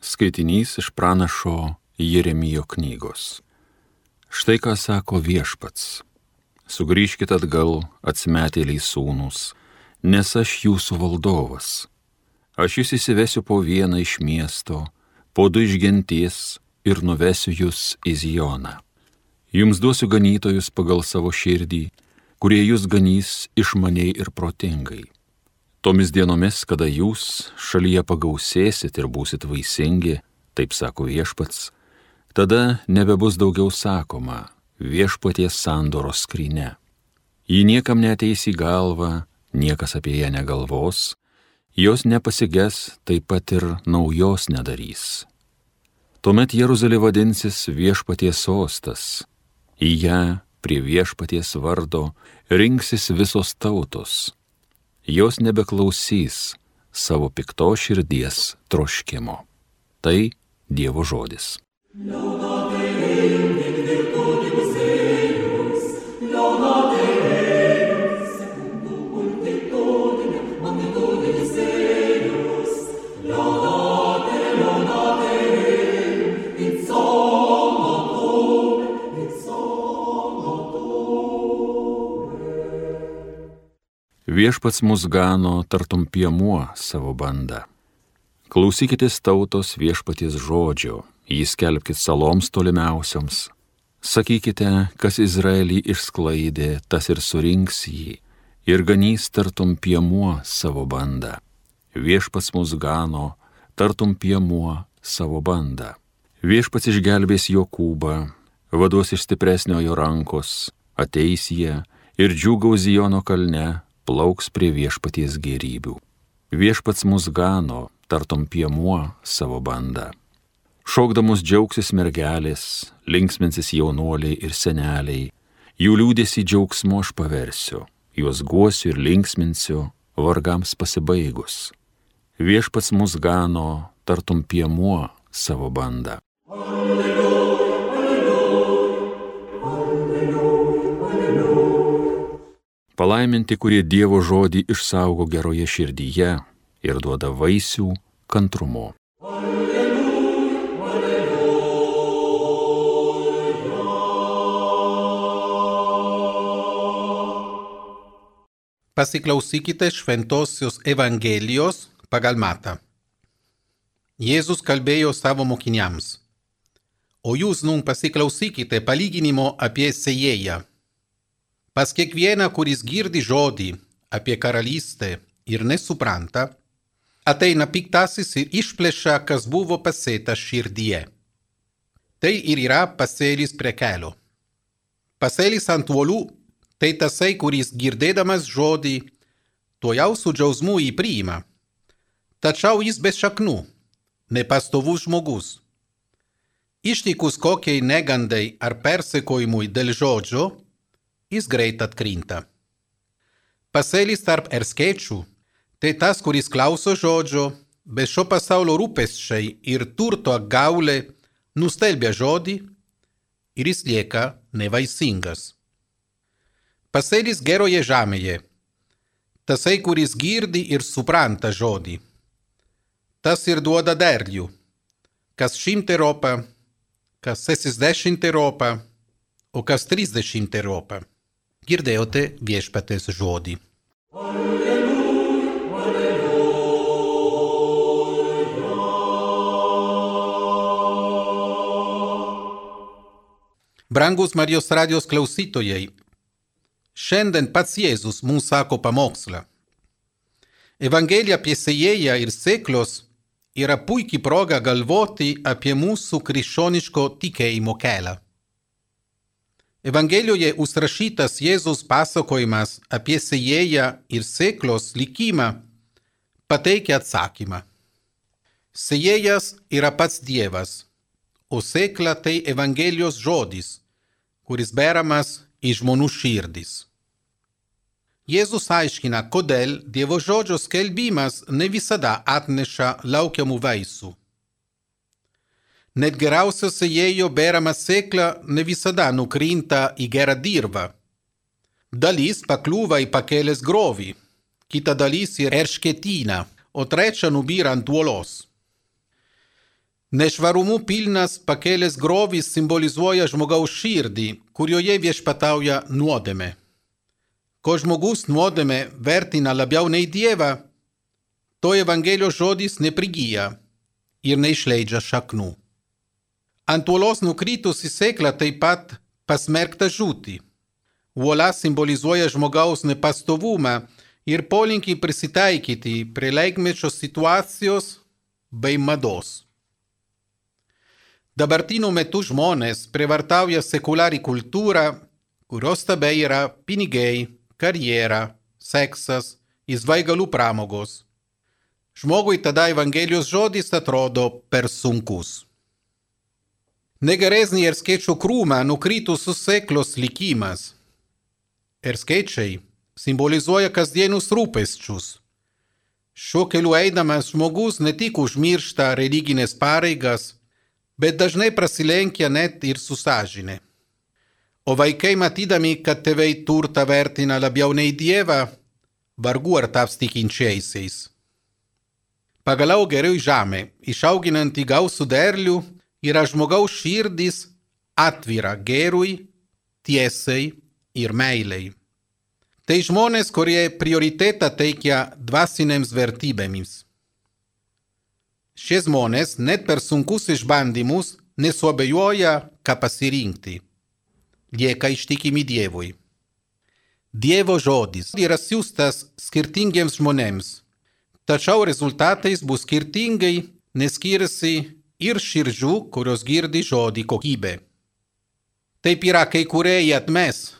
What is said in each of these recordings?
Skaitinys iš pranašo Jeremijo knygos. Štai ką sako Viešpats. Sugrįžkit atgal, atsimetėliai sūnūs, nes aš jūsų valdovas. Aš jūs įsivesiu po vieną iš miesto, po du iš genties ir nuvesiu jūs į Zioną. Jums duosiu ganytojus pagal savo širdį, kurie jūs ganys išmaniai ir protingai. Tomis dienomis, kada jūs šalyje pagausėsit ir būsit vaisingi, taip sako Viešpats, tada nebebus daugiau sakoma Viešpaties sandoros skrynia. Ji niekam neateis į galvą, niekas apie ją negalvos, jos nepasiges, taip pat ir naujos nedarys. Tuomet Jeruzalė vadinsis Viešpaties sostas, į ją prie Viešpaties vardo rinksis visos tautos. Jos nebeklausys savo piktos širdies troškimo. Tai Dievo žodis. Viešpats mus gano tartum piemuo savo bandą. Klausykitės tautos Viešpaties žodžio, jį skelbkit saloms tolimiausioms. Sakykite, kas Izraelį išsklaidė, tas ir surinks jį, ir ganys tartum piemuo savo bandą. Viešpats mus gano tartum piemuo savo bandą. Viešpats išgelbės Jokūbą, vaduos iš stipresniojo rankos, ateis jie ir džiūgaus Ziono kalne, plauks prie Viešpaties gėrybių. Viešpats mus gano, tartum piemuo savo bandą. Šokdamus džiaugsis mergelės, linksminsis jaunuoliai ir seneliai, jų liūdėsį džiaugsmu aš paversiu, juos guosiu ir linksminsiu, vargams pasibaigus. Viešpats mus gano, tartum piemuo savo bandą. Palaiminti, kurie Dievo žodį išsaugo geroje širdyje ir duoda vaisių kantrumu. Pasiklausykite šventosios Evangelijos pagal Matą. Jėzus kalbėjo savo mokiniams: O jūs nun pasiklausykite palyginimo apie sėjėją. Pas kiekvieną, kuris girdi žodį apie karalystę ir nesupranta, ateina piktasis ir išplėša, kas buvo pasėta širdyje. Tai ir yra pasėlis prie kelio. Pasėlis ant uolų tai tasai, kuris girdėdamas žodį, tuojau su džiaugsmu jį priima. Tačiau jis be šaknų, nepastovus žmogus. Ištikus kokiai negandai ar persekiojimui dėl žodžio, jis greit atkrinta. Pasėlis tarp erškėčių tai tas, kuris klauso žodžio, bet šio pasaulio rūpesčiai ir turto apgaulė nustelbia žodį ir jis lieka nevaisingas. Pasėlis geroje žemėje, tasai, kuris girdi ir supranta žodį. Tas ir duoda derlių, kas 100, kas 60, o kas 30. Girdėjote Viešpaties žodį. Brangus Marijos radijos klausytojai, šiandien pats Jėzus mums sako pamokslą. Evangelija apie sėjėją ir sėklos yra puikiai proga galvoti apie mūsų krikščioniško tikėjimo kelią. Evangelijoje užrašytas Jėzaus pasakojimas apie sėjėją ir sėklos likimą pateikia atsakymą. Sėjėjas yra pats Dievas, o sėkla tai Evangelijos žodis, kuris beramas į žmonių širdis. Jėzus aiškina, kodėl Dievo žodžio skelbimas ne visada atneša laukiamų vaisių. Net geriausio sėjėjo berama sėkla ne visada nukrinta į gerą dirvą. Dalis pakliūva į pakelės grovį, kita dalis į erškėtyną, o trečia nubyra ant uolos. Nešvarumų pilnas pakėlęs grovis simbolizuoja žmogaus širdį, kurioje viešpatauja nuodėmė. Ko žmogus nuodėmė vertina labiau nei Dievą, to Evangelijos žodis neprigyja ir neišleidžia šaknų. Ant uolos nukritusi sėkla taip pat pasmerkta žūti. Uola simbolizuoja žmogaus nepastovumą ir polinkį prisitaikyti prie laikmečio situacijos bei mados. Dabartiniu metu žmonės prievartauja sekulari kultūrą, kurios tabe yra pinigai, karjera, seksas, įsvaigalų pramogos. Žmogui tada Evangelijos žodis atrodo per sunkus. Negeresnį erškėčių krūmą nukritusius sėklos likimas. Erškėčiai simbolizuoja kasdienius rūpesčius. Šiuo keliu eidamas žmogus ne tik užmiršta religinės pareigas, bet dažnai prasilenkia net ir su sąžine. O vaikai matydami, kad tėvai turtą vertina labiau nei Dievą, vargu ar taps tikinčiaisiais. Pagaliau gerioji žemė, išauginanti gausų derlių, yra žmogaus širdis atvira gėrui, tiesai ir meilei. Tai žmonės, kurie prioritetą teikia dvasinėms vertybėms. Šie žmonės net per sunkus išbandymus nesuabejoja, ką pasirinkti. Lieka ištikimi Dievui. Dievo žodis yra siųstas skirtingiems žmonėms, tačiau rezultatais bus skirtingai, nes skiriasi ir širdžių, kurios girdi žodį kokybė. Taip yra, kai kurie jį atmes,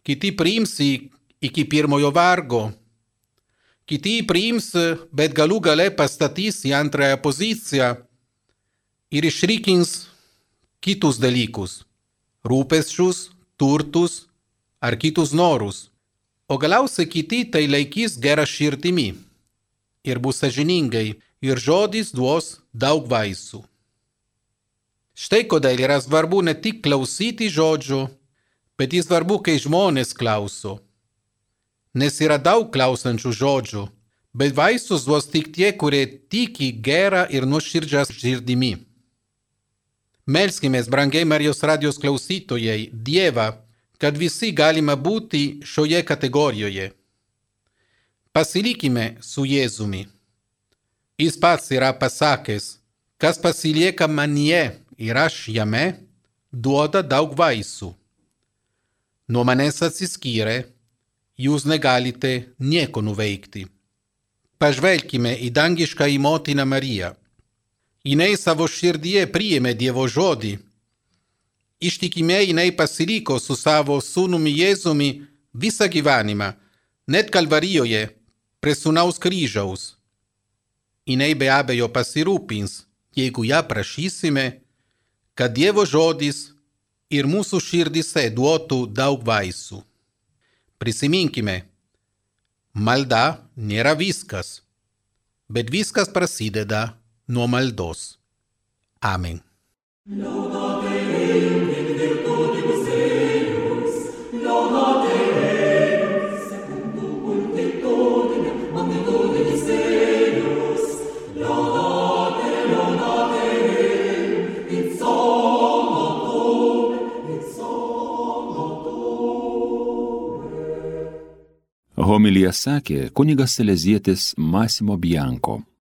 kiti priims iki pirmojo vargo, kiti priims, bet galų gale pastatys į antrąją poziciją ir išrikins kitus dalykus – rūpesčius, turtus ar kitus norus, o galiausiai kiti tai laikys gerą širdimi ir bus sąžiningai ir žodis duos daug vaisių. Štai kodėl yra svarbu ne tik klausyti žodžių, bet ir svarbu, kai žmonės klauso. Nes yra daug klausančių žodžių, bet vaisius duos tik tie, kurie tiki gerą ir nuoširdžią širdimi. Melskimės, brangiai Marijos radijos klausytojai, Dievą, kad visi galime būti šioje kategorijoje. Pasilikime su Jėzumi. Jis pats yra pasakęs, kas pasilieka manyje ir aš jame, duoda daug vaisių. Nuo manęs atsiskyrę, jūs negalite nieko nuveikti. Pažvelkime į dangiškąją motiną Mariją. Jinai savo širdyje priėmė Dievo žodį. Ištikimiai jinai pasiliko su savo sūnumi Jėzumi visą gyvenimą, net Kalvarijoje, prie sūnaus kryžiaus. Jinai be abejo pasirūpins, jeigu ją prašysime, kad Dievo žodis ir mūsų širdyse duotų daug vaisių. Prisiminkime, malda nėra viskas, bet viskas prasideda nuo maldos. Amen. Homiliją sakė kunigas salezietis Massimo Bianco.